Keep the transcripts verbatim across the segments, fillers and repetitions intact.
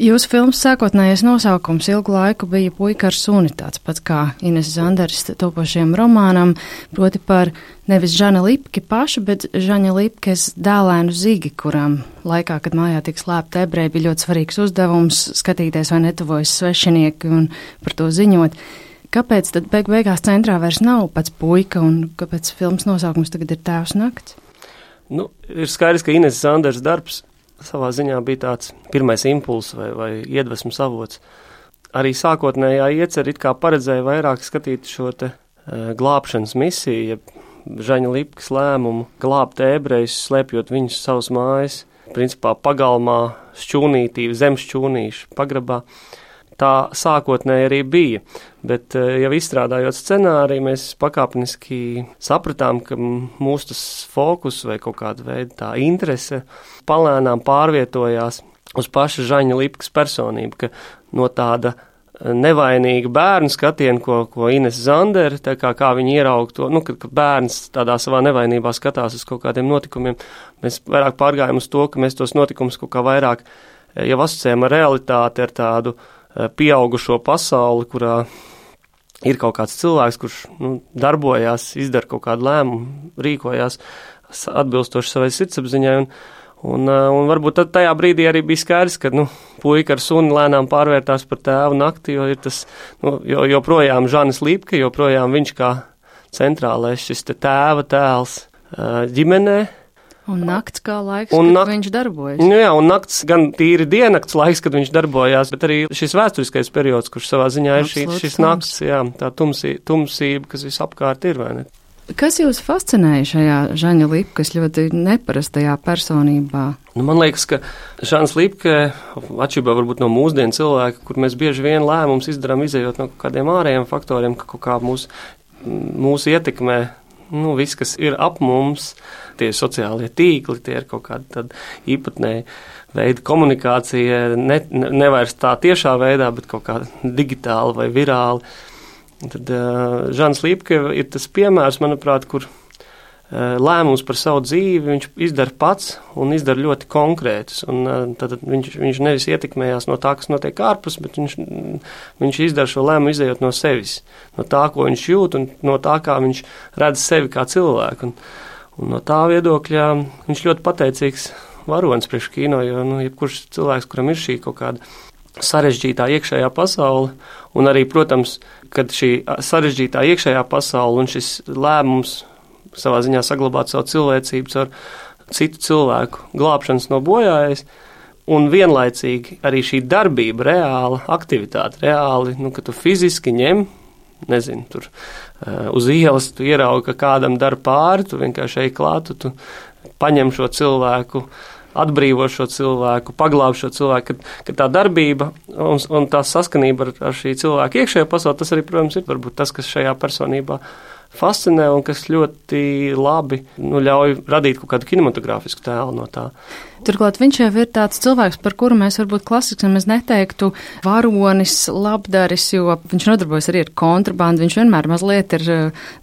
Jūsu filmas sākotnējais nosaukums ilgu laiku bija Puika ar suni, tāds pats kā Ines Zanderes topošiem romānam, proti par nevis Žana Lipki pašu, bet Žaņa Lipkes dēlēnu Zigi, kuram laikā, kad mājā tika slēpta ebreji, bija ļoti svarīgs uzdevums skatīties, vai netuvojas svešinieki un par to ziņot. Kāpēc tad beig beigās centrā vairs nav pats Puika un kāpēc filmas nosaukums tagad ir Tēvs nakts? Nu, ir skaidrs, ka Ines Zanderes darbs savā ziņā bija tāds pirmais impulss vai, vai iedvesmas avots. Arī sākotnējā iecer it kā paredzēja vairāk skatīt šo te uh, glābšanas misiju, ja Žaņa Lipkas lēmumu glābt ebrejus, slēpjot viņus savas mājas, principā pagalmā, šķūnītī, zem šķūnīšu pagrabā. Tā sākotnēji arī bija, bet jau izstrādājot scenāriju, mēs pakāpeniski sapratām, ka mūsu tas fokus vai kaut kāda veida tā interese palēnām pārvietojās uz paša Žaņa Lipkas personību, ka no tāda nevainīga bērnu skatiena, ko, ko Ines Zandere, tā kā, kā viņi ieraug to, nu, ka, ka bērns tādā savā nevainībā skatās uz kaut kādiem notikumiem, mēs vairāk pārgājām uz to, ka mēs tos notikumus kaut kā vairāk jau asociējam ar realitāti, ar tādu pieaugušo pasauli, kurā ir kaut kāds cilvēks, kurš nu, darbojās, izdara kaut kādu lēmumu, rīkojās atbilstoši savai sirdsapziņai, un, un, un varbūt tad tajā brīdī arī bija skaidrs, ka nu, Puika ar suni lēnām pārvērtās par Tēvu nakti, jo ir tas, nu, jo, joprojām Žanis Lipke, joprojām viņš kā centrālais šis te tēva tēls ģimenē. Un nakts kā laiks, un kad nakt, viņš darbojas. Nu jā, un nakts gan tīri diennakts laiks, kad viņš darbojās, bet arī šis vēsturiskais periods, kurš savā ziņā ir šī, šis nakts, jā, tā tumsī, tumsība, kas visapkārt ir, vai ne? Kas jūs fascinēja šajā Žaņa Lipkas ļoti neparastajā personībā? Nu, man liekas, ka Žans Lipke, atšķirībā varbūt no mūsdienu cilvēka, kur mēs bieži vien lēmums izdarām izējot no kādiem ārējiem faktoriem, ka kaut kā mūs, mūs ietekmē, nu, viss, kas ir ap mums, tie sociālie tīkli, tie ir kaut kāda tad īpatnēja veida komunikācija, ne, ne, nevairs tā tiešā veidā, bet kaut kā digitāli vai virāli. Tad uh, Žans Lipke ir tas piemērs, manuprāt, kur uh, lēmums par savu dzīvi viņš izdara pats un izdara ļoti konkrētus. Un, uh, tad viņš, viņš nevis ietekmējās no tā, kas notiek ārpus, bet viņš, viņš izdara šo lēmumu izējot no sevis, no tā, ko viņš jūt un no tā, kā viņš redz sevi kā cilvēku. Un, un no tā viedokļa viņš ļoti pateicīgs varonis priekš kino, jo nu, jebkurš cilvēks, kuram ir šī kaut kāda sarežģītā iekšējā pasaule, un arī, protams, kad šī sarežģītā iekšējā pasaule un šis lēmums savā ziņā saglabāt savu cilvēcību ar citu cilvēku glābšanas no bojājas, un vienlaicīgi arī šī darbība, reāla aktivitāte, reāli, nu, ka tu fiziski ņem, nezinu, tur uh, uz ielas tu ieraugi, ka kādam dara pāri, tu vienkārši ej klāt, tu, tu paņem šo cilvēku, atbrīvo šo cilvēku, paglāb šo cilvēku, ka, ka tā darbība un, un tā saskanība ar, ar šī cilvēka iekšējā pasaulē, tas arī, protams, ir varbūt tas, kas šajā personībā fascinē un kas ļoti labi nu, ļauj radīt kaut kādu kinematogrāfisku tēlu no tā. Turklāt viņš jau ir tāds cilvēks, par kuru mēs varbūt klasiski mēs neteiktu varonis, labdaris, jo viņš nodarbojas arī ar kontrabandu, viņš vienmēr mazliet ir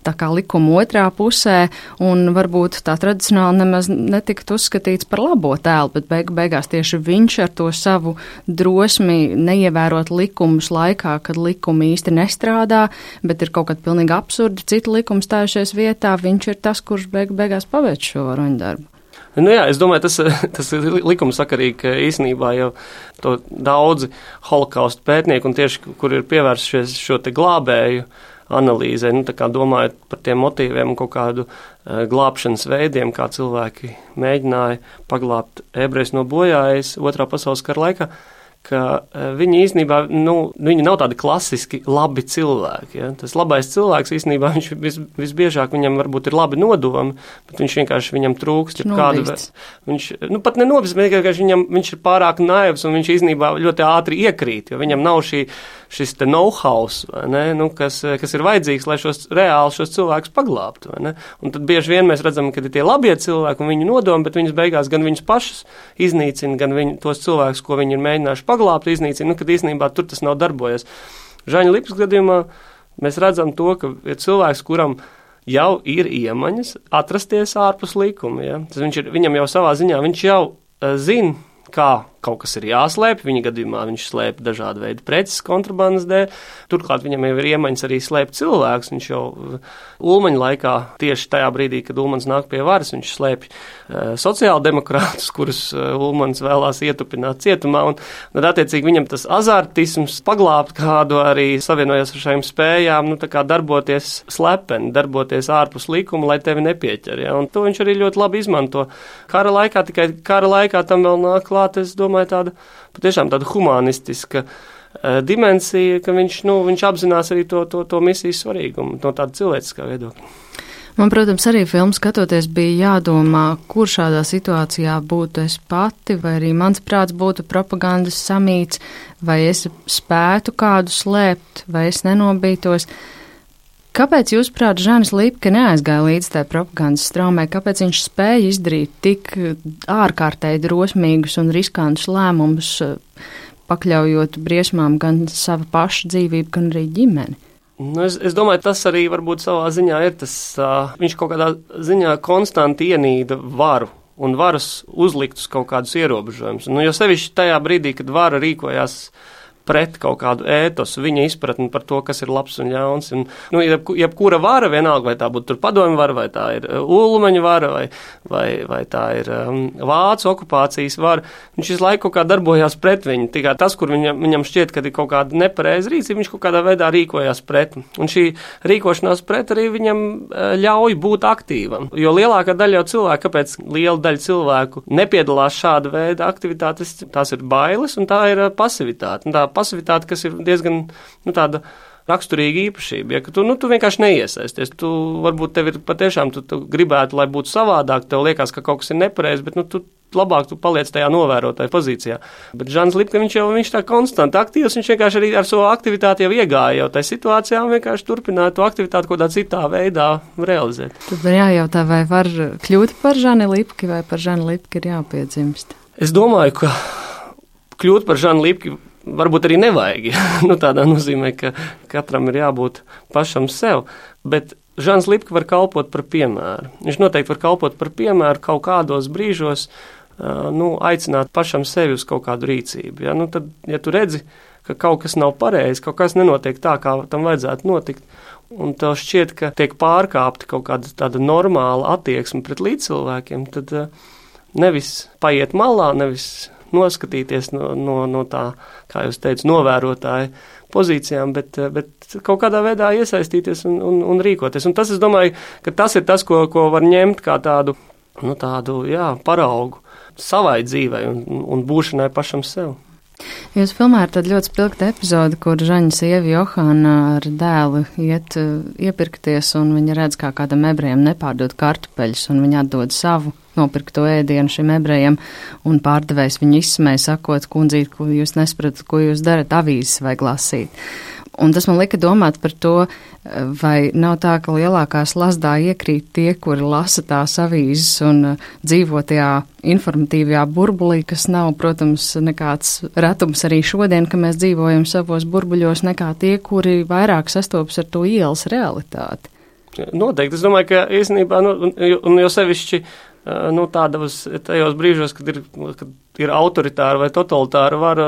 tā kā likuma otrā pusē, un varbūt tā tradicionāli nemaz netikt uzskatīts par labo tēlu, bet beig beigās tieši viņš ar to savu drosmi neievērot likumus laikā, kad likumi īsti nestrādā, bet ir kaut kādi pilnīgi absurdi citi likumi stājušies vietā, viņš ir tas, kurš beig beigās paveic šo varoņu darbu. Nu jā, es domāju, tas, tas ir likumsakarīgi, ka īstenībā jau to daudzi holokaustu pētnieki un tieši, kur ir pievērsušies šo te glābēju analīzē, nu tā kā domājot par tiem motīviem un kaut kādu uh, glābšanas veidiem, kā cilvēki mēģināja paglābt ebrejus no bojājas otrā pasaules kara laikā, ka viņi īstenībā, nu, viņi nav tādi klasiski labi cilvēki. Ja? Tas labais cilvēks īstenībā, viņš vis, visbiežāk viņam varbūt ir labi nodomi, bet viņš vienkārši viņam trūkst. Kādu, viņš, nu, pat nenobīst, bet vienkārši viņam, viņš ir pārāk naivs un viņš īstenībā ļoti ātri iekrīt, jo viņam nav šī, šis te know-how, ne? Nu, kas, kas ir vajadzīgs, lai šos reāli šos cilvēkus paglābtu. Ne? Un tad bieži vien mēs redzam, ka ir tie labie cilvēki un viņu nodomi, bet viņus beigās gan viņus pašus iznīcina, gan viņu, tos cilvēkus, ko viņi ir mēģinājuši paglābt, iznīcina, nu, kad īstenībā tur tas nav darbojies. Žaņa Lipkas gadījumā mēs redzam to, ka ir cilvēks, kuram jau ir iemaņas atrasties ārpus likuma. Ja? Tas viņš ir, viņam jau savā ziņā, viņš jau uh, zina, kā kaut kas ir jāslēpj. Viņa gadījumā viņš slēpj dažādu veidu preces kontrabandas dēļ. Turklāt viņam jau ir iemaņas arī slēpt cilvēkus. Viņš jau Ulmaņa laikā, tieši tajā brīdī, kad Ulmans nāk pie varas, viņš slēpj uh, sociāldemokrātus, kurus uh, Ulmans vēlās ietupināt cietumā. Un tad, attiecīgi, viņam tas azartisms paglābt kādu arī savienojas ar šīm spējām, nu, tā kā darboties slepeni, darboties ārpus likuma, lai tevi nepieķer. Ja? Un to viņš arī ļoti labi izmanto. Kara laikā, tikai kara laikā tam vēl nāk klāt, es domāju, tāda patiešām tāda humanistiska uh, dimensija, ka viņš, nu, viņš apzinās arī to, to, to misijas svarīgumu no tāda cilvēciskā viedokļa. Man, protams, arī filmu skatoties bija jādomā, kur šādā situācijā būtu es pati, vai arī mans prāts būtu propagandas samīts, vai es spētu kādu slēpt, vai es nenobītos. Kāpēc, jūsuprāt, Žanis Lipke neaizgāja līdz tai propagandas straumē? Kāpēc viņš spēja izdarīt tik ārkārtēji drosmīgus un riskantus lēmumus, pakļaujot briesmām gan savu pašu dzīvību, gan arī ģimeni? Nu, es, es domāju, tas arī varbūt savā ziņā ir tas, uh, viņš kaut kādā ziņā konstanti ienīda varu un varas uzlikt uz kaut kādus ierobežojumus. Nu, jo sevišķi tajā brīdī, kad vara rīkojās pret kaut kādu ētosu, viņa izpratni par to, kas ir labs un ļauns. Un, nu, jeb, jebkura vara vienalga, vai tā būtu tur padomju vara, vai tā ir Ulmaņa vara, vai, vai, vai tā ir um, Vācu okupācijas vara, viņš visu laiku kaut kā darbojās pret viņu. Tikai tas, kur viņam, viņam šķiet, ka ir kaut kāda nepareiza rīcība, viņš kaut kādā veidā rīkojās pret. Un šī rīkošanās pret arī viņam ļauj būt aktīvam. Jo lielākā daļa jau cilvēku, kāpēc liela daļa cilvēku nepiedalās šāda veida aktivitātes, tās ir bailes un tā ir pasivitāte. Un tā pasivitāte, kas ir diezgan, nu, tāda raksturīga īpašība, ja, ka tu, nu, tu vienkārši neiesaisties. Tu varbūt tev ir patiešām, tu, tu gribētu, lai būtu savādāk, tev liekas, ka kaut kas ir nepareizi, bet, nu, tu labāk tu paliec tajā novērotāja pozīcijā. Bet Žans Lipke, viņš jau, viņš tā konstanti aktīvs, viņš vienkārši arī ar savu aktivitāti jau iegāja jau tajā situācijā un vienkārši turpināja to aktivitāti kaut kādā citā veidā realizēt. Tad var jājautā, vai var kļūt par Žani Lipki, vai par Žani Lipki ir jāpiedzimst? Es domāju, ka kļūt par Žanu Lipki varbūt arī nevajag. Nu, tādā nozīmē, ka katram ir jābūt pašam sev. Bet Žans Lipke var kalpot par piemēru. Viņš noteikti var kalpot par piemēru kaut kādos brīžos, uh, nu, aicināt pašam sevi uz kaut kādu rīcību. Ja? Nu, tad, ja tu redzi, ka kaut kas nav pareizi, kaut kas nenotiek tā, kā tam vajadzētu notikt, un tev šķiet, ka tiek pārkāpta kaut kāda tāda normāla attieksme pret līdzcilvēkiem, tad uh, nevis paiet malā, nevis noskatīties no, no, no tā, kā jūs teicu, novērotāja pozīcijām, bet, bet kaut kādā veidā iesaistīties un, un, un rīkoties. Un tas, es domāju, ka tas ir tas, ko, ko var ņemt kā tādu, nu, tādu, jā, paraugu savai dzīvei un, un būšanai pašam sev. Jūs filmā ir tāda ļoti spilgta epizode, kur Žaņa sieva Johana ar dēlu iet iepirkties, un viņa redz, kā kādam ebrejam nepārdod kartupeļus, un viņa atdod savu nopirkto ēdienu šim ebrejam, un pārdevējs viņu izsmēja, sakot, kundzīt, ko jūs nesapratat, ko jūs darat, avīzes vajag lasīt. Un tas man lika domāt par to, vai nav tā, ka lielākās lasdā iekrīt tie, kuri lasa tās avīzes un dzīvo tajā informatīvajā burbulī, kas nav, protams, nekāds retums arī šodien, ka mēs dzīvojam savos burbuļos, nekā tie, kuri vairāk sastopas ar to ielas realitāti. Noteikti. Es domāju, ka īstenībā, nu, un jau sevišķi, nu, tādos tajos brīžos, kad ir, kad ir autoritāra vai totalitāra vara,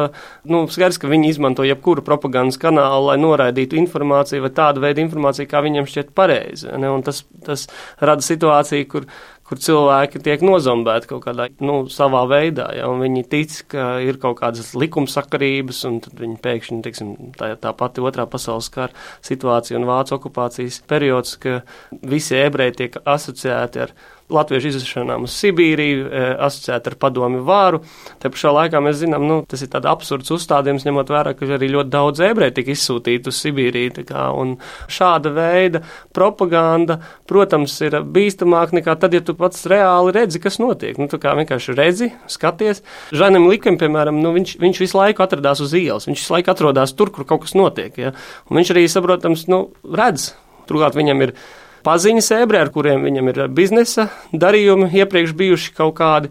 nu, skaidrs, ka viņi izmanto jebkuru propagandas kanālu, lai noraidītu informāciju vai tādu veidu informāciju, kā viņiem šķiet pareizi. Ne? Un tas, tas rada situāciju, kur, kur cilvēki tiek nozombēti kaut kādā, nu, savā veidā, ja? Un viņi tic, ka ir kaut kādas likumsakarības, un tad viņi pēkšņi, teiksim, tā, tā pati otrā pasaules kara situācija un Vācu okupācijas periods, ka visi ebreji tiek asociēti ar latviešu izvešanām uz Sibīriju, asociēti ar padomju vāru. Te pašā laikā mēs zinām, nu, tas ir tāds absurds uzstādījums, ņemot vērā, ka arī ļoti daudz ebreju tika izsūtīti uz Sibīriju. Tā kā, un šāda veida propaganda, protams, ir bīstamāk nekā tad, ja tu pats reāli redzi, kas notiek. Nu, tu kā vienkārši redzi, skaties. Žanim Lipkem, piemēram, nu, viņš, viņš visu laiku atradās uz ielas, viņš visu laiku atrodās tur, kur kaut kas notiek. Ja? Un viņš arī, saprotams, nu, redz. Turklāt viņam ir paziņas ebreji, ar kuriem viņam ir biznesa darījumi iepriekš bijuši kaut kādi,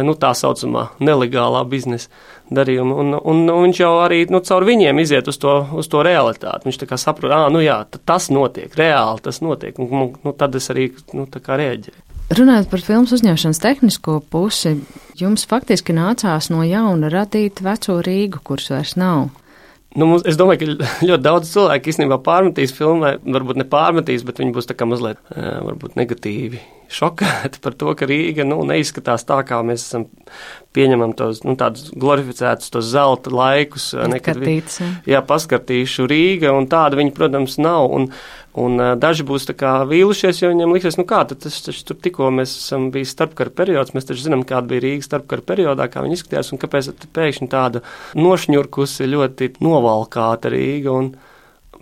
nu, tā saucamā nelegālā biznesa darījumi, un, un, un viņš jau arī, nu, caur viņiem iziet uz to, uz to realitāti. Viņš tā kā saprot, ā, nu jā, tas notiek, reāli tas notiek, un, nu, tad es arī, nu, tā kā reaģēju. Runājot par filmas uzņemšanas tehnisko pusi, jums faktiski nācās no jauna radīt veco Rīgu, kuras vairs nav. Nu, mums, es domāju, ka ļoti daudz cilvēku īstenībā pārmetīs filmai, varbūt ne pārmetīs, bet viņi būs tā kā mazliet varbūt negatīvi šokēti par to, ka Rīga nu, neizskatās tā, kā mēs esam pieņemam tos nu, tādus glorificētus, tos zelta laikus. Nekad, ja. Jā, paskartīšu Rīga, un tāda viņa, protams, nav. Un, un daži būs tā kā vīlušies, jo viņam liksies, nu kā, tad tas taču tur tikko mēs esam bijis starpkara periods, mēs taču zinām, kāda bija Rīga starpkara periodā, kā viņa izskatījās, un kāpēc pēkšņi tāda nošņurkusi, ļoti novalkāta Rīga. Un,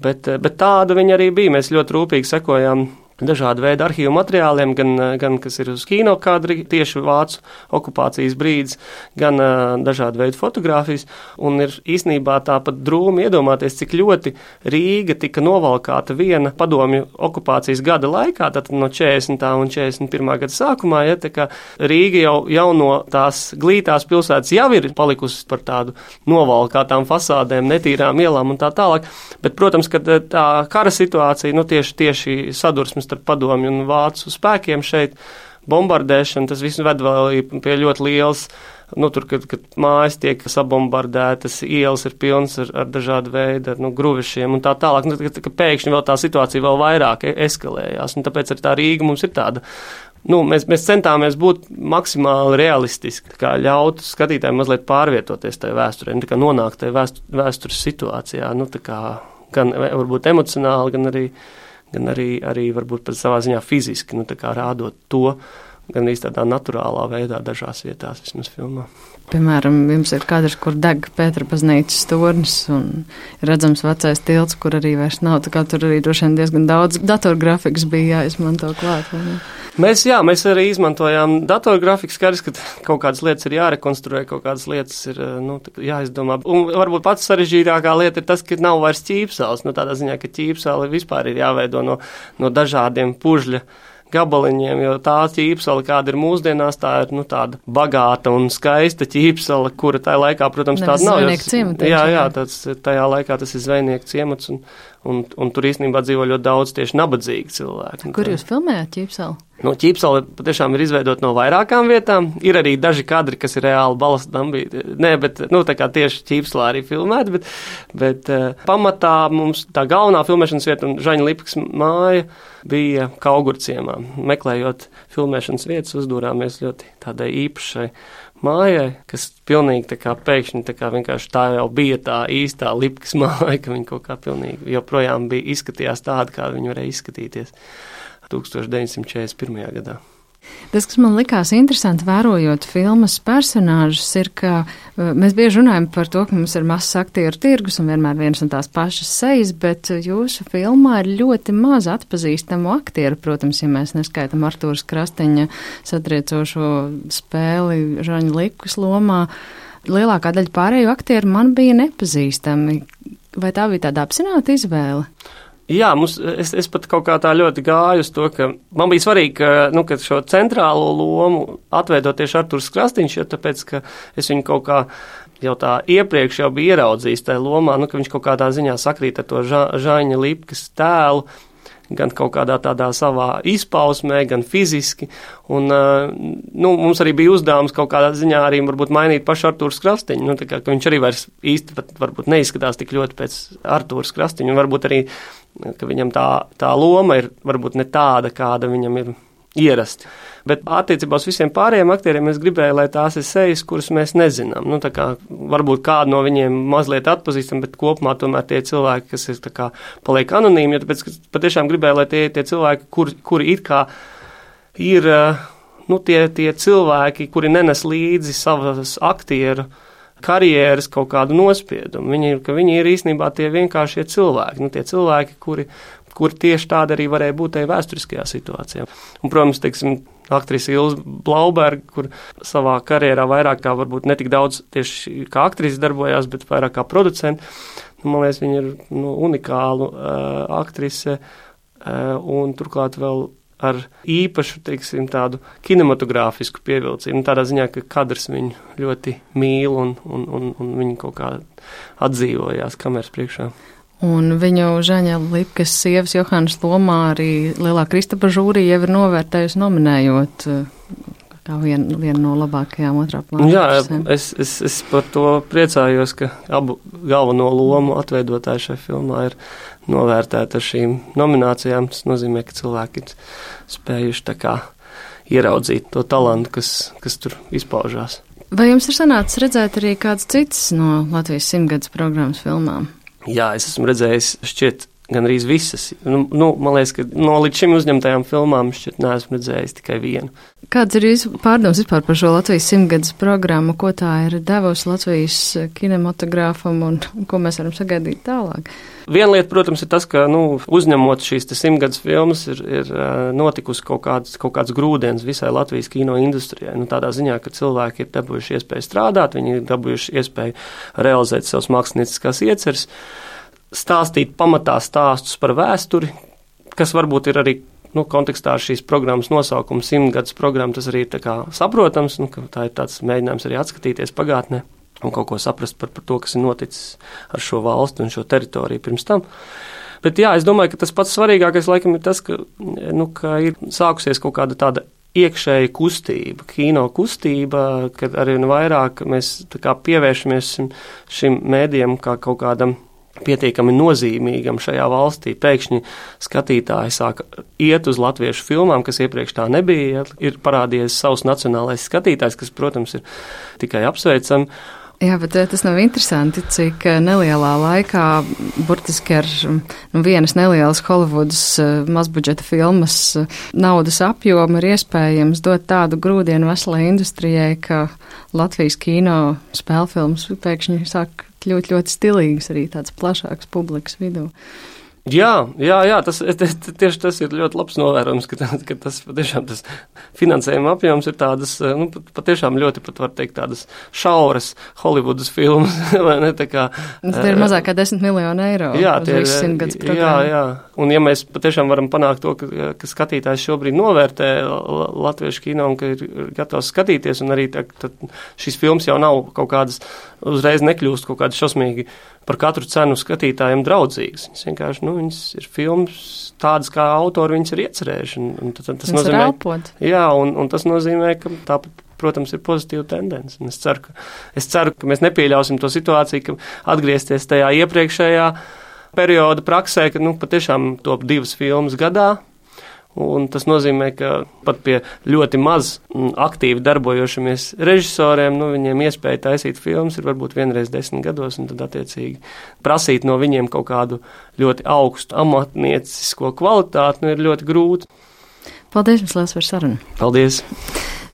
bet, bet tāda viņa arī bija, mēs ļoti rūpīgi sekojām dažādu veidu arhīvu materiāliem, gan, gan kas ir uz kino kadri, tieši vācu okupācijas brīdis, gan uh, dažādu veidu fotogrāfijas, un ir īstenībā tāpat drūmi iedomāties, cik ļoti Rīga tika novalkāta viena padomju okupācijas gada laikā, tad no četrdesmitā un četrdesmit pirmā gada sākumā, ja, tā kā Rīga jau, jau no tās glītās pilsētas jau ir palikusi par tādu novalkātām fasādēm, netīrām ielām un tā tālāk, bet, protams, ka tā kara situācija, nu tieši, tieši sadursmes ar padomju un vācu spēkiem šeit, bombardēšana, tas viss ved vēl pie ļoti liels, nu, tur, kad, kad mājas tiek sabombardētas, ielas ir pilnas ar, ar dažādu veidu, ar, nu, gruvešiem un tā tālāk, nu, ka, ka pēkšņi vēl tā situācija vēl vairāk eskalējās, un tāpēc arī tā Rīga mums ir tāda, nu, mēs, mēs centāmies būt maksimāli realistiski, kā ļaut skatītājiem mazliet pārvietoties tajā vēsturē, nu, tā kā nonākt tajā vēstu, vēstures situācijā, nu, tā kā gan varbūt emocionāli, gan arī gan arī, arī varbūt pat savā ziņā fiziski, nu tā kā rādot to, gan arī tādā naturālā veidā dažās vietās vismaz filmā. Piemēram, jums ir kadrs, kur deg Pētera baznīcas tornis un redzams vecais tilts, kur arī vairs nav, tā kā tur arī droši vien diezgan daudz datorgrafikas bija jāizmanto klāt, vai ne? Mēs, jā, mēs arī izmantojām datorgrafiku, skaidrs, ka kaut kādas lietas ir jārekonstruē, kaut kādas lietas ir, nu, jāizdomā. Un varbūt pats sarežģītākā lieta ir tas, ka nav vairs ķīpsales, nu, tādā ziņā, ka ķīpsale vispār ir jāveido no, no dažādiem pužļa gabaliņiem, jo tā ķīpsala, kāda ir mūsdienās, tā ir, nu, tāda bagāta un skaista ķīpsala, kura tajā laikā, protams, tāda nav. Zvejnieku ciemats. Jā, jā, tāds, tajā laikā tas ir zvejnieku ciemats, un, un, un tur īstenībā dzīvo ļoti daudz tieši nabadzīgi cilvēki. Kur jūs filmējāt ķīpsalu? Nu, ķīpsala patiešām ir izveidota no vairākām vietām. Ir arī daži kadri, kas ir reāli balastdambī. Nē, bet, nu, tā kā tieši ķīpsalā arī filmēta, bet, bet uh, pamatā mums tā galvenā filmēšanas vieta un Žaņa Lipkas māja bija Kaugurciemā. Meklējot filmēšanas vietas, uzdūrāmies ļoti tādai īpašai mājai, kas pilnīgi tā kā pēkšņi tā kā vienkārši tā jau bija tā īstā Lipkas māja, ka viņa kaut kā pilnīgi joprojām bija izskatījās tāda, kā viņa varēja izskatīties tūkstoš deviņsimt četrdesmit pirmajā gadā. Tas, kas man likās interesanti vērojot filmas personāžus, ir, ka mēs bieži runājam par to, ka mums ir mazs aktieru tirgus un vienmēr viens un tās pašas sejas, bet jūsu filmā ir ļoti maz atpazīstamu aktieru, protams, ja mēs neskaitam Artūras Krasteņa satriecošo spēli Žaņa Lipkas lomā. Lielākā daļa pārējo aktieru man bija nepazīstami. Vai tā bija tāda apzināta izvēle? Jā, mums, es, es pat kaut kā tā ļoti gāju uz to, ka man bija svarīgi, ka, nu, ka šo centrālo lomu atveidot tieši Artūrs Krastiņš, jo tāpēc, ka es viņu kaut kā jau tā iepriekš jau biju ieraudzījis tajā lomā, nu, ka viņš kaut kādā ziņā sakrīt ar to ža, Žaņa Lipkas tēlu, gan kaut kādā tādā savā izpausmē, gan fiziski, un, nu, mums arī bija uzdevums kaut kādā ziņā arī varbūt mainīt pašu Artūrs Krastiņu, nu, tā kā, ka viņš arī vairs īsti pat varbūt neizskatās tik ļoti pēc Artūrs Krastiņu, un varbūt arī, ka viņam tā, tā loma ir varbūt ne tāda, kāda viņam ir ierasti. Bet attiecībā uz visiem pārējiem aktieriem es gribēju, lai tās ir sejas, kuras mēs nezinām. Nu, tā kā varbūt kādu no viņiem mazliet atpazīstam, bet kopumā tomēr tie cilvēki, kas ir tā kā paliek anonīmi, jo tāpēc, ka patiešām gribēju, lai tie, tie cilvēki, kuri, kuri it kā ir, nu, tie, tie cilvēki, kuri nenes līdzi savas aktieru karjeras kaut kādu nospiedumu. Viņi ir, ka viņi ir īstenībā tie vienkāršie cilvēki, nu, tie cilvēki, kuri, kuri tieši tāda arī varēja būt tajā vēsturiskajā situācijā. Un, protams, teiksim, aktrise Ilze Blauberga, kur savā karjerā vairāk kā varbūt netik daudz tieši kā aktrise darbojās, bet vairāk kā producenti. Nu, man liekas, viņa ir, nu, unikālu uh, aktrise uh, un turklāt vēl ar īpašu, teiksim, tādu kinematogrāfisku pievilcību, tādā ziņā, ka kadrs viņu ļoti mīl un, un, un, un viņi kaut kā atdzīvojās kameras priekšā. Un viņu Žaņa Lipkas sievas Johannas lomā arī Lielā Kristapa žūrija jau ir novērtējusi nominējot kā vienu, vienu no labākajām otrā plāna. Jā, es, es, es par to priecājos, ka abu galveno lomu atveidotāji šajā filmā ir novērtēti ar šīm nominācijām. Tas nozīmē, ka cilvēki ir spējuši tā kā ieraudzīt to talantu, kas, kas tur izpaužās. Vai jums ir sanācis redzēt arī kāds cits no Latvijas simtgadus programmas filmām? Jā, es esmu redzējis šķiet gan arī visas. Nu, nu, man liekas, ka no līdz šim uzņemtajām filmām šķiet neesmu redzējis tikai vienu. Kāds ir jūsu pārdoms vispār par šo Latvijas simtgadus programmu, ko tā ir devusi Latvijas kinematogrāfam un ko mēs varam sagaidīt tālāk? Viena lieta, protams, ir tas, ka nu, uzņemot šīs simtgadus filmas ir, ir notikusi kaut kāds, kaut kāds grūdienis visai Latvijas kino industrijai. Nu, tādā ziņā, ka cilvēki ir dabūjuši iespēju strādāt, viņi ir dabūjuši iespēju realizēt savas mākslinieckās ieceres, stāstīt pamatā stāstus par vēsturi, kas varbūt ir arī nu, kontekstā ar šīs programmas nosaukumu simtgadus programma, tas arī ir tā kā saprotams, nu, ka tā ir tāds mēģinājums arī atskatīties pagātnē un kaut ko saprast par, par to, kas ir noticis ar šo valstu un šo teritoriju pirms tam. Bet jā, es domāju, ka tas pats svarīgākais laikam ir tas, ka, nu, ka ir sākusies kaut kāda tāda iekšēja kustība, kino kustība, kad arī vairāk mēs tā kā pievēršamies šim, šim mēdījam kā kaut kādam pietiekami nozīmīgam šajā valstī. Pēkšņi skatītāji sāk iet uz latviešu filmām, kas iepriekš tā nebija. Ir parādījies savs nacionālais skatītājs, kas, protams, ir tikai apsveicami. Jā, bet tas nav interesanti, cik nelielā laikā, burtiski ar nu, vienas nelielas Holivudas mazbudžeta filmas naudas apjomu ir iespējams dot tādu grūdienu veselai industrijai, ka Latvijas kino spēlfilmas pēkšņi sāk kļūt ļoti stilīgas arī tāds plašāks publikas vidū. Jā, jā, jā tas, tieši tas ir ļoti labs novērojums, ka, ka tas patiešām tas finansējuma apjoms ir tādas, nu, patiešām ļoti pat var teikt tādas šauras Holivudas filmas, vai ne, tā kā. Tas ir mazāk kā desmit miljonu eiro. Jā, tie ir, jā, jā, un ja mēs patiešām varam panākt to, ka, ka skatītājs šobrīd novērtē latviešu kino un ka ir gatavs skatīties, un arī tā, šīs filmas jau nav kaut kādas, uzreiz nekļūst kaut kādas šausmīgi par katru cenu skatītājiem draudzīgas. Viņas vienkārši, nu, viņas ir filmas tādas, kā autori viņas ir iecerējuši. Un, un tas, tas nozīmē, jā, un, un tas nozīmē, ka tā, protams, ir pozitīva tendence. Un es ceru, ka, es ceru, ka mēs nepieļausim to situāciju, ka atgriezties tajā iepriekšējā perioda praksē, ka, nu, patiešām top divas filmas gadā. Un tas nozīmē, ka pat pie ļoti maz aktīvi darbojošamies režisoriem, nu, viņiem iespēja taisīt filmas ir varbūt vienreiz desmit gados, un tad attiecīgi prasīt no viņiem kaut kādu ļoti augstu amatniecisko kvalitāti, nu, ir ļoti grūti. Paldies jums liels par sarunu. Paldies.